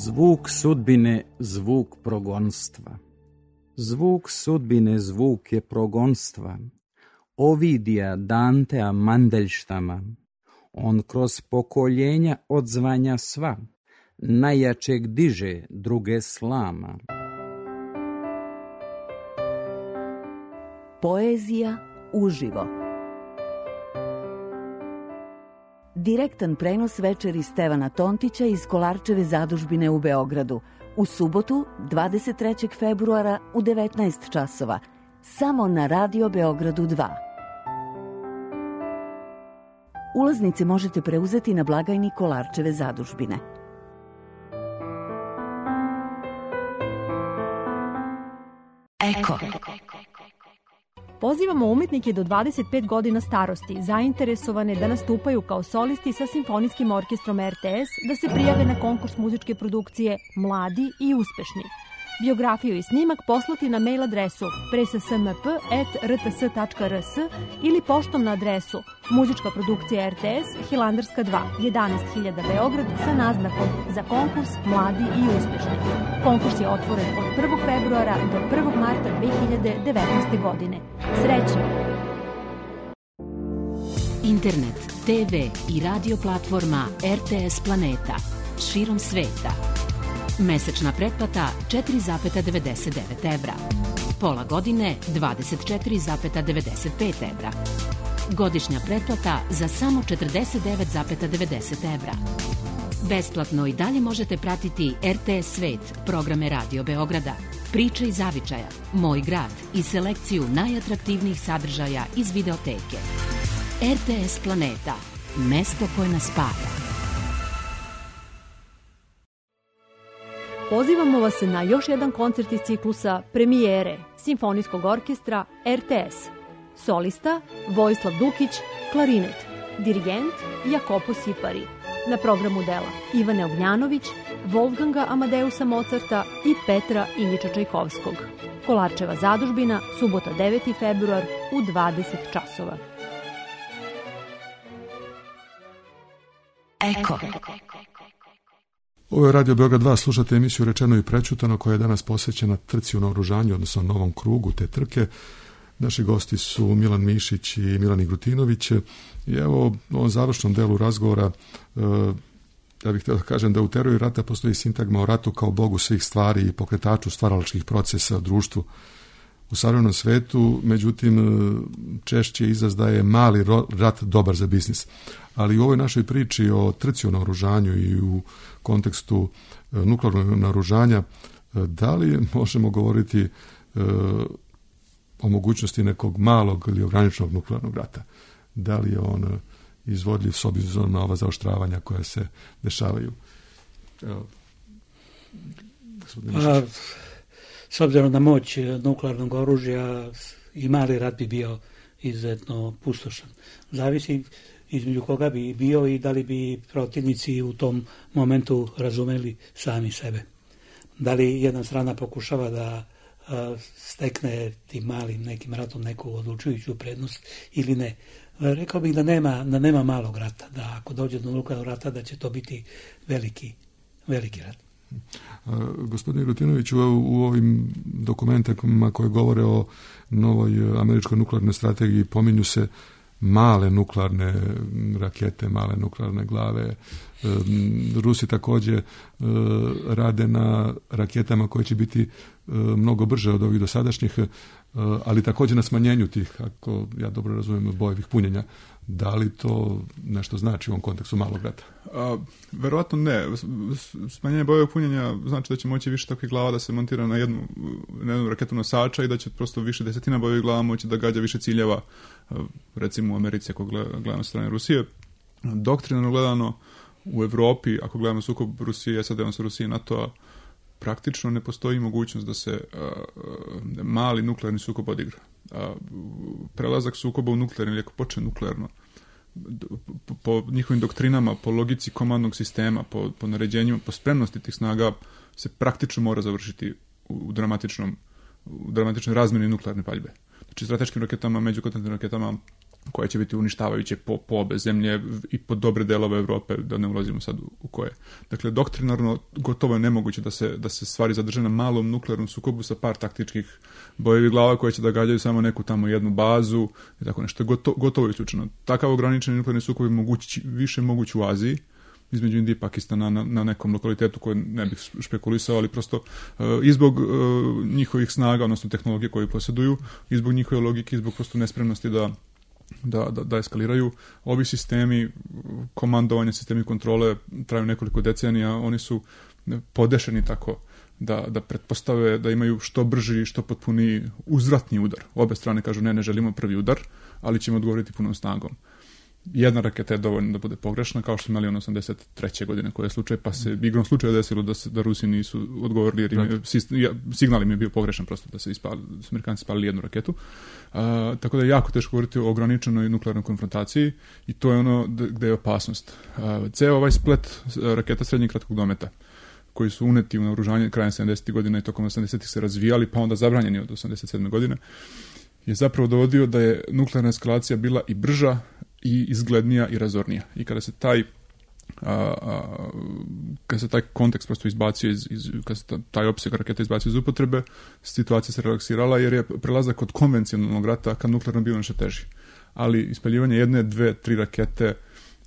Zvuk sudbine, zvuk progonstva. Zvuk sudbine, zvuk je progonstva. Ovidija Dantea Mandelštama. On kroz pokoljenja odzvanja sva, najjačeg diže, druge slama. Poezija uživo. Direktan prenos večeri Stevana Tontića iz Kolarčeve zadužbine u Beogradu. U subotu, dvadeset trećeg februara u devetnaest časova. Samo na Radio Beogradu dva. Ulaznice možete preuzeti na blagajni Kolarčeve zadužbine. Eko. Pozivamo umetnike do dvadeset pet godina starosti, zainteresovane da nastupaju kao solisti sa Simfonijskim orkestrom R T S, da se prijave na konkurs muzičke produkcije Mladi i uspešni. Biografiju i snimak poslati na mail adresu presasmp at rts tačka rs ili poštom na adresu Muzička produkcija R T S, Hilandarska dva, jedanaest hiljada Beograd sa naznakom za konkurs Mladi i uspešni. Konkurs je otvoren od prvog februara do prvog marta dve hiljade devetnaeste. godine. Srećno! Internet, te ve i radio platforma R T S Planeta širom sveta. Mesečna pretplata četiri zarez devedeset devet evra. Pola godine dvadeset četiri zarez devedeset pet evra. Godišnja pretplata za samo četrdeset devet zarez devedeset evra. Besplatno i dalje možete pratiti R T S Svet, programe Radio Beograda, Priče iz zavičaja, Moj grad i selekciju najatraktivnijih sadržaja iz videoteke. R T S Planeta, mesto koje nas spaja. Pozivamo vas na još jedan koncert iz ciklusa Premijere Simfonijskog orkestra R T S. Solista Vojislav Dukić, klarinet. Dirigent Jakopo Sipari. Na programu dela Ivane Ognjanović, Wolfganga Amadeusa Mozarta i Petra Ilića Čajkovskog. Kolarčeva zadužbina, subota deveti februar u dvadeset časova. Eko. Ovo je Radio Beograd dva, slušate emisiju Rečeno i prečutano koja je danas posvećena trci u naoružanju, odnosno novom krugu te trke. Naši gosti su Milan Mišić i Milan Igrutinović. I evo u ovom završnom delu razgovora e, ja bih htio da kažem da u teoriji rata postoji sintagma o ratu kao bogu svih stvari i pokretaču stvaralačkih procesa u društvu. U savremenom svetu, međutim, češće izraz da je mali rat dobar za biznis. Ali u ovoj našoj priči o trci u naoružanju i u kontekstu nuklearnog naoružanja, da li možemo govoriti e, o mogućnosti nekog malog ili ograničenog nuklearnog rata? Da li je on izvodljiv s obzirom na ova zaoštravanja koja se dešavaju? Evo, A, s obzirom na moć nuklearnog oružja i mali rat bi bio izuzetno pustošan. Zavisi između koga bi bio i da li bi protivnici u tom momentu razumeli sami sebe. Da li jedna strana pokušava da a, stekne tim malim nekim ratom neku odlučujuću prednost ili ne. Rekao bih da nema, da nema malog rata, da ako dođe do nuklearnog rata da će to biti veliki, veliki rat. Gospodine Igrutinoviću, u ovim dokumentima koje govore o novoj američkoj nuklearnoj strategiji pominju se male nuklearne rakete, male nuklearne glave. Rusi također rade na raketama koje će biti mnogo brže od ovih dosadašnjih, ali također na smanjenju tih, ako ja dobro razumijem, bojevih punjenja. Da li to nešto znači u ovom kontekstu malog rata? A, verovatno ne. Smanjenje bojevog punjenja znači da će moći više takvih glava da se montira na jednu, na jednu raketu nosača i da će prosto više desetina bojevih glava moći da gađa više ciljeva, recimo u Americi ako gledamo sa strane Rusije. Doktrinarno gledano u Evropi, ako gledamo sukob Rusije, S A D, odnosno Rusije i NATO-a, praktično ne postoji mogućnost da se a, a, mali nuklearni sukob odigra. A, prelazak sukoba u nuklearni, ili ako počne nuklearno, po, po njihovim doktrinama, po logici komandnog sistema, po, po naređenjima, po spremnosti tih snaga, se praktično mora završiti u, u dramatičnom u dramatičnoj razmjeni nuklearne paljbe. Znači, strateškim raketama, međukontinentalnim raketama, koje će biti uništavajuće po, po obe zemlje i po dobre delove Evrope, da ne ulazimo sad u, u koje. Dakle, doktrinarno gotovo je nemoguće da se, da se stvari zadrže na malom nuklearnom sukobu sa par taktičkih bojevih glava koje će da gađaju samo neku tamo jednu bazu i tako nešto. Gotovo, gotovo je isključeno. Takav ograničeni nuklearni sukob je mogući, više moguć u Aziji, između Indije i Pakistana na, na nekom lokalitetu koji ne bih špekulisao, ali prosto uh, i zbog uh, njihovih snaga, odnosno tehnologije koje posjeduju, i zbog njihove logike, i zbog prosto nespremnosti da Da, da, da eskaliraju. Ovi sistemi komandovanja, sistemi kontrole traju nekoliko decenija, oni su podešeni tako da, da pretpostave da imaju što brži, što potpuniji uzvratni udar. Obe strane kažu ne, ne želimo prvi udar, ali ćemo odgovoriti punom snagom. Jedna raketa je dovoljna da bude pogrešna, kao što smo imali on osamdeset treće godine koji je slučaj, pa se igrom slučaja desilo da, se, da Rusi nisu odgovorili, jer im je, signal im je bio pogrešan prosto da se ispali, da su Amerikanci spalili jednu raketu. A, tako da je jako teško govoriti o ograničenoj nuklearnoj konfrontaciji i to je ono gde je opasnost. A, ceo ovaj splet raketa srednjeg kratkog dometa koji su uneti u naoružanje krajem sedamdesetih godina i tokom osamdesetih se razvijali, pa onda zabranjeni od osamdeset sedme godine, je zapravo dovodio da je nuklearna eskalacija bila i brža i izglednija i razornija. I kada se taj a, a, kada se taj kontekst prosto izbacio iz, iz kada se taj opseg raketa izbacio iz upotrebe, situacija se relaksirala jer je prelazak od konvencionalnog rata ka nuklearnom bio nešto teži. Ali ispaljivanje jedne, dve, tri rakete,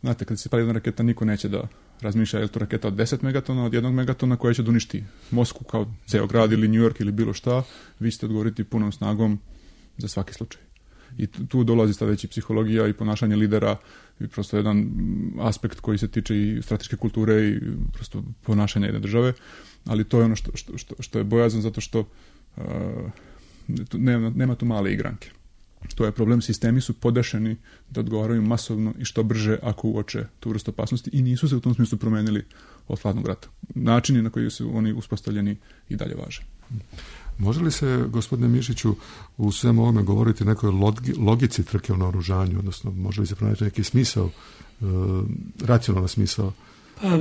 znate, kada se pali jedna raketa, niko neće da razmišlja je li to raketa od deset megatona, od jednog megatona koja će da uništi Moskvu kao ceo grad ili New York ili bilo šta, vi ćete odgovoriti punom snagom za svaki slučaj. I tu dolazi sta veći psihologija i ponašanje lidera i prosto jedan aspekt koji se tiče i strateške kulture i prosto ponašanja jedne države, ali to je ono što, što, što, što je bojazan zato što uh, nema, nema tu male igranke. To je problem, sistemi su podešeni da odgovaraju masovno i što brže ako uoče tu vrstu opasnosti i nisu se u tom smislu promenili od hladnog rata. Načini na koji su oni uspostavljeni i dalje važe. Može li se, gospodine Mišiću, u svemu ovome govoriti nekoj logici trke o naoružanju, odnosno može li se pronaći neki smisao, e, racionalan smisao? Pa,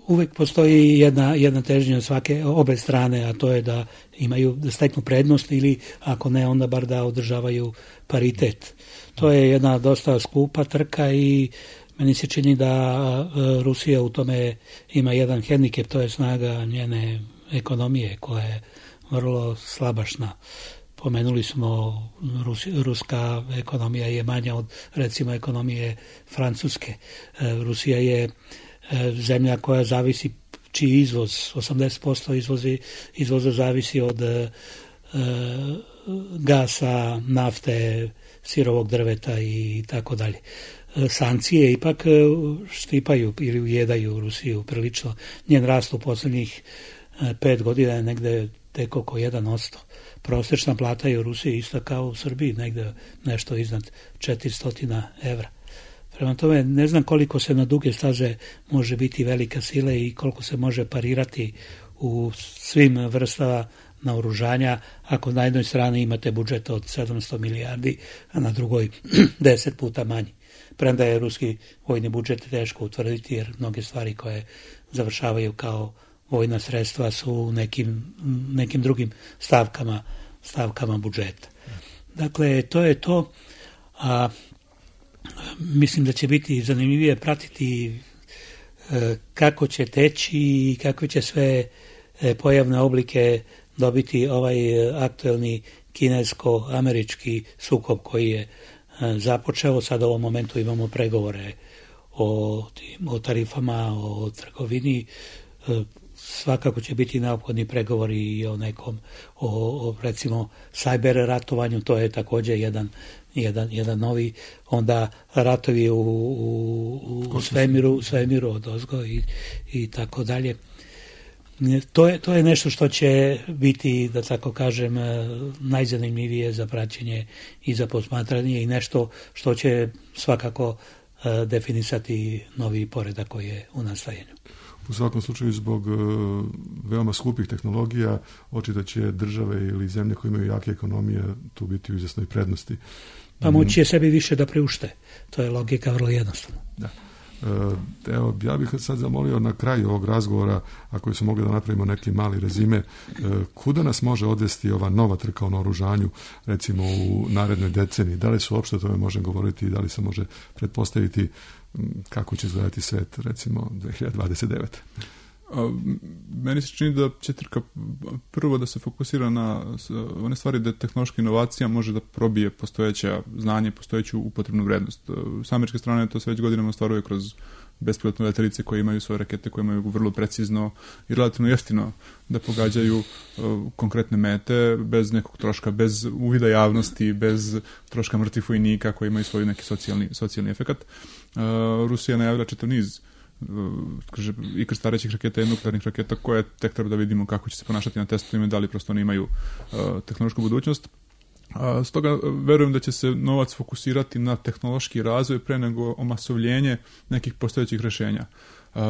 uvek postoji jedna, jedna težnja svake obe strane, a to je da imaju, da steknu prednost ili ako ne, onda bar da održavaju paritet. To je jedna dosta skupa trka i meni se čini da Rusija u tome ima jedan hendikep, to je snaga njene ekonomije koja je vrlo slabašna. Pomenuli smo Rus, ruska ekonomija je manja od recimo ekonomije Francuske. Rusija je zemlja koja zavisi, čiji izvoz, osamdeset posto izvozi, izvoza zavisi od e, gasa, nafte, sirovog drveta i tako dalje. Sankcije ipak štipaju ili ujedaju Rusiju prilično. Njen rast u poslednjih pet godina je negde tek oko jedan posto. Prosječna plata je u Rusiji isto kao u Srbiji, negde nešto iznad četiristo evra. Prema tome, ne znam koliko se na duge staze može biti velika sila i koliko se može parirati u svim vrstama naoružanja ako na jednoj strani imate budžet od sedamsto milijardi, a na drugoj deset puta manji. Premda je ruski vojni budžet teško utvrditi jer mnoge stvari koje završavaju kao vojna sredstva su u nekim, nekim drugim stavkama, stavkama budžeta. Dakle, to je to. A mislim da će biti zanimljivije pratiti e, kako će teći i kakve će sve e, pojavne oblike dobiti ovaj aktuelni kinesko-američki sukob koji je e, započeo. Sad u ovom momentu imamo pregovore o, tim, o tarifama, o trgovini. E, svakako će biti neophodni pregovori i o nekom, o, o recimo sajber ratovanju, to je također jedan Jedan, jedan novi, onda ratovi u, u, u svemiru, svemiru od ozgo i, i tako dalje. To je, to je nešto što će biti, da tako kažem, najzanimljivije za praćenje i za posmatranje i nešto što će svakako definisati novi poredak koji je u nastajanju. U svakom slučaju, zbog veoma skupih tehnologija, očito će države ili zemlje koje imaju jake ekonomije tu biti u izvjesnoj prednosti. Pa moći je sebi više da priušte. To je logika vrlo jednostavna. Da. Evo, ja bih sad zamolio na kraju ovog razgovora, ako se mogli da napravimo neki mali rezime, kuda nas može odvesti ova nova trka o naoružanju, recimo u narednoj deceniji? Da li se uopšte o tome može govoriti i da li se može pretpostaviti kako će izgledati svet, recimo, dve hiljade dvadeset devete. A, meni se čini da će trka prvo da se fokusira na one stvari da tehnološka inovacija može da probije postojeća znanje, postojeću upotrebnu vrednost. S američke strane to se već godinama ostvaruje kroz bespilotne letelice koje imaju svoje rakete, koje imaju vrlo precizno i relativno jeftino da pogađaju uh, konkretne mete bez nekog troška, bez uvida javnosti, bez troška mrtvih vojnika koji imaju svoj neki socijalni, socijalni efekat. Uh, Rusija najavila čitav niz kaže, i krstarećih raketa i nuklearnih raketa koje tek treba da vidimo kako će se ponašati na testovima, da li prosto oni imaju uh, tehnološku budućnost. Uh, stoga verujem da će se novac fokusirati na tehnološki razvoj pre nego omasovljenje nekih postojećih rešenja. Uh,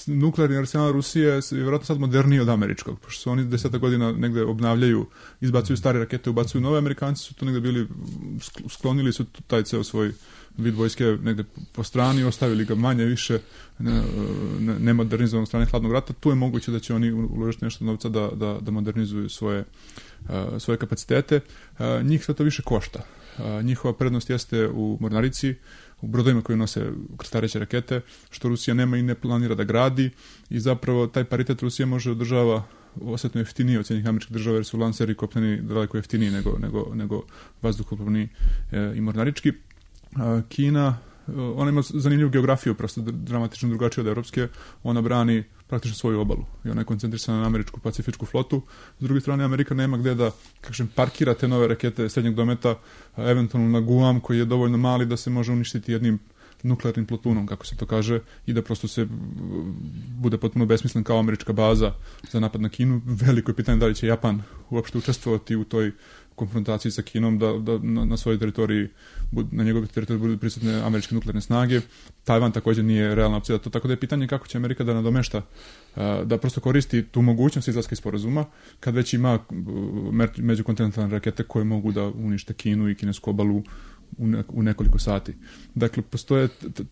nuklearni arsenal Rusije je vjerojatno sad moderniji od američkog, pošto su oni deseta godina negde obnavljaju, izbacuju stare rakete, ubacuju nove. Amerikanci su tu negde bili, sklonili su taj ceo svoj vid vojske negde po strani, ostavili ga manje više nemodernizovanom strane hladnog rata. Tu je moguće da će oni uložiti nešto novca da, da, da modernizuju svoje, uh, svoje kapacitete. Uh, njih sve to više košta. Uh, njihova prednost jeste u mornarici, u brodovima koji nose krstareće rakete, što Rusija nema i ne planira da gradi, i zapravo taj paritet Rusija može održava osjetno jeftinije od cijenih američkih država, jer su lanseri kopneni daleko jeftiniji nego, nego, nego vazduhoplovni e, i mornarički. A, Kina, ona ima zanimljivu geografiju, prosto dramatično drugačije od evropske, ona brani praktično svoju obalu i ona je koncentrisana na američku pacifičku flotu. S druge strane, Amerika nema gde da, kažem, parkira te nove rakete srednjeg dometa, eventualno na Guam, koji je dovoljno mali da se može uništiti jednim nuklearnim plutonom, kako se to kaže, i da prosto se bude potpuno besmislen kao američka baza za napad na Kinu. Veliko je pitanje da li će Japan uopšte učestvovati u toj konfrontaciji sa Kinom, da, da na, na svojoj teritoriji, na njegovoj teritoriji budu prisutne američke nuklearne snage. Tajvan također nije realna opcija da to, tako da je pitanje kako će Amerika da nadomešta, da prosto koristi tu mogućnost izlaska iz sporazuma, kad već ima međukontinentalne rakete koje mogu da unište Kinu i kinesku obalu u nekoliko sati. Dakle, postoje,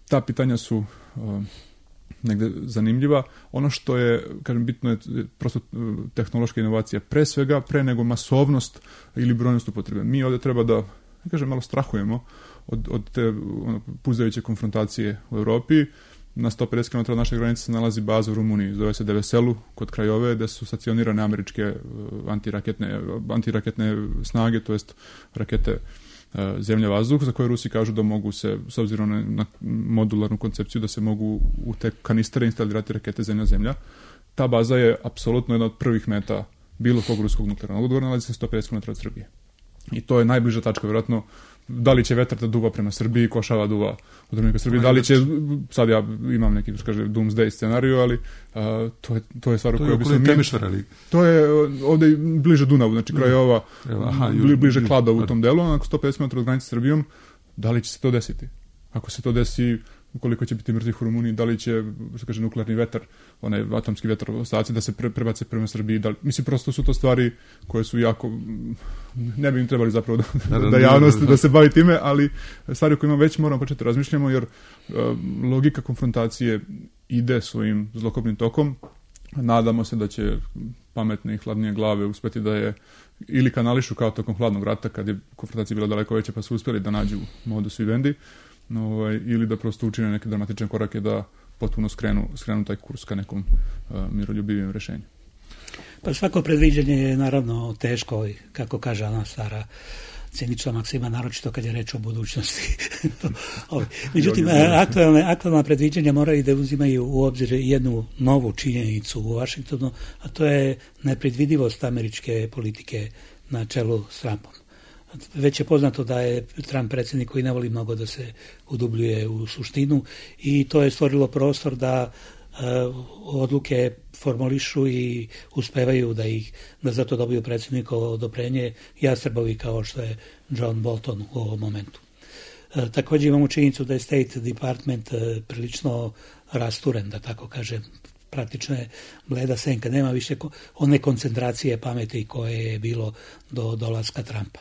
ta pitanja su uh, negde zanimljiva. Ono što je, kažem, bitno je prosto tehnološka inovacija pre svega, pre nego masovnost ili brojnost upotrebe. Mi ovdje treba da, kažem, malo strahujemo od, od te ono, puzajuće konfrontacije u Europi. Na sto pedeset kilometara od naše granice se nalazi baza u Rumuniji, zove se Deveselu, kod Krajove, gde su stacionirane američke antiraketne, antiraketne snage, to jest rakete zemlja vazduh, za koje Rusi kažu da mogu se, s obzirom na, na modularnu koncepciju, da se mogu u te kanistere instalirati rakete zemlja-zemlja. Ta baza je apsolutno jedna od prvih meta bilo kog ruskog nuklearnog odgovora, nalazi se sto pedeset kilometara od Srbije. I to je najbliža tačka, vjerojatno, da li će vetar da duva prema Srbiji, košava duva od Republike Srbije, da li će, sad ja imam neki, kaže, doomsday scenariju, ali a, to, je, to je stvar u kojoj bi se mi... To je ovdje bliže Dunavu, znači kraj ova, Aha, bli, bliže Kladovu u tom delu, onako sto pedeset kilometara od granice s Srbijom. Da li će se to desiti? Ako se to desi, koliko će biti mrtvih u Rumuniji, da li će, što kaže, nuklearni vetar, onaj atomski vetar ostaci da se pre, prebace prema Srbiji, da li, mislim, prosto su to stvari koje su jako, ne bi im trebali zapravo da, da, da javnost da se bavi time, ali stvari koje imamo već moramo početi razmišljamo, jer uh, logika konfrontacije ide svojim zlokobnim tokom. Nadamo se da će pametne i hladnije glave uspjeti da je ili kanališu kao tokom hladnog rata, kad je konfrontacija bila daleko veća, pa su uspjeli da nađu modus vivendi, ovaj, ili da prosto učine neke dramatične korake da potpuno skrenu, skrenu taj kurs ka nekom uh, miroljubivijem rešenju. Pa svako predviđanje je naravno teško, kako kaže ona stara cinična maksima, naročito kad je reč o budućnosti. Međutim, aktualne, aktualna predviđanja moraju da uzimaju u obzir jednu novu činjenicu u Vašingtonu, a to je nepredvidivost američke politike na čelu s Trumpom. Već je poznato da je Trump predsjednik koji ne voli mnogo da se udubljuje u suštinu i to je stvorilo prostor da uh, odluke formulišu i uspevaju da ih da zato dobiju predsjednikovo odobrenje jastrebovi kao što je John Bolton u ovom momentu. Uh, također imamo činjenicu da je State Department uh, prilično rasturen, da tako kažem, praktično je bleda senka, nema više one koncentracije pameti koje je bilo do dolaska Trumpa.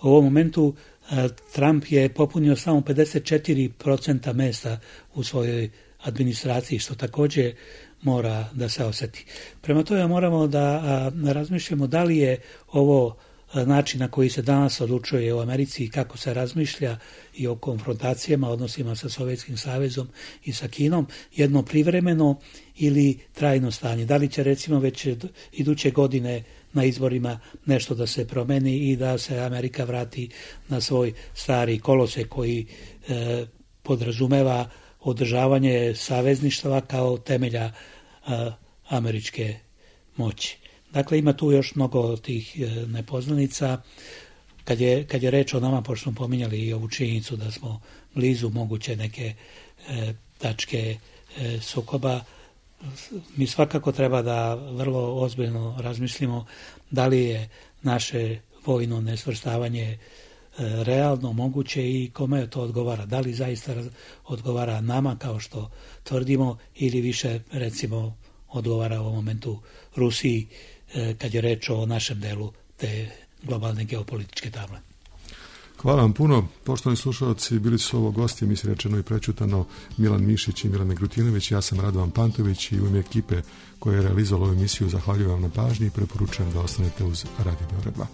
U ovom momentu Trump je popunio samo pedeset četiri procenta mesta u svojoj administraciji, što također mora da se osjeti. Prema tome moramo da razmišljamo da li je ovo način na koji se danas odlučuje u Americi i kako se razmišlja i o konfrontacijama, odnosima sa Sovjetskim savezom i sa Kinom, jedno privremeno ili trajno stanje. Da li će recimo već iduće godine na izborima nešto da se promeni i da se Amerika vrati na svoj stari kolosek koji e, podrazumeva održavanje savezništva kao temelja a, američke moći. Dakle, ima tu još mnogo tih e, nepoznanica. Kad je, kad je reč o nama, pošto smo pominjali i ovu činjenicu da smo blizu moguće neke e, tačke e, sukoba, mi svakako treba da vrlo ozbiljno razmislimo da li je naše vojno nesvrstavanje realno moguće i kome to odgovara. Da li zaista odgovara nama kao što tvrdimo ili više recimo odgovara u momentu Rusiji kad je reč o našem delu te globalne geopolitičke table. Hvala vam puno. Poštovani slušalci, bili su ovo gosti, mi se rečeno i prećutano, Milan Mišić i Milan Negrutinović. Ja sam Radovan Pantović i u ime ekipe koja je realizovala ovu emisiju zahvaljujem vam na pažnji i preporučujem da ostanete uz Radio Beograd dva.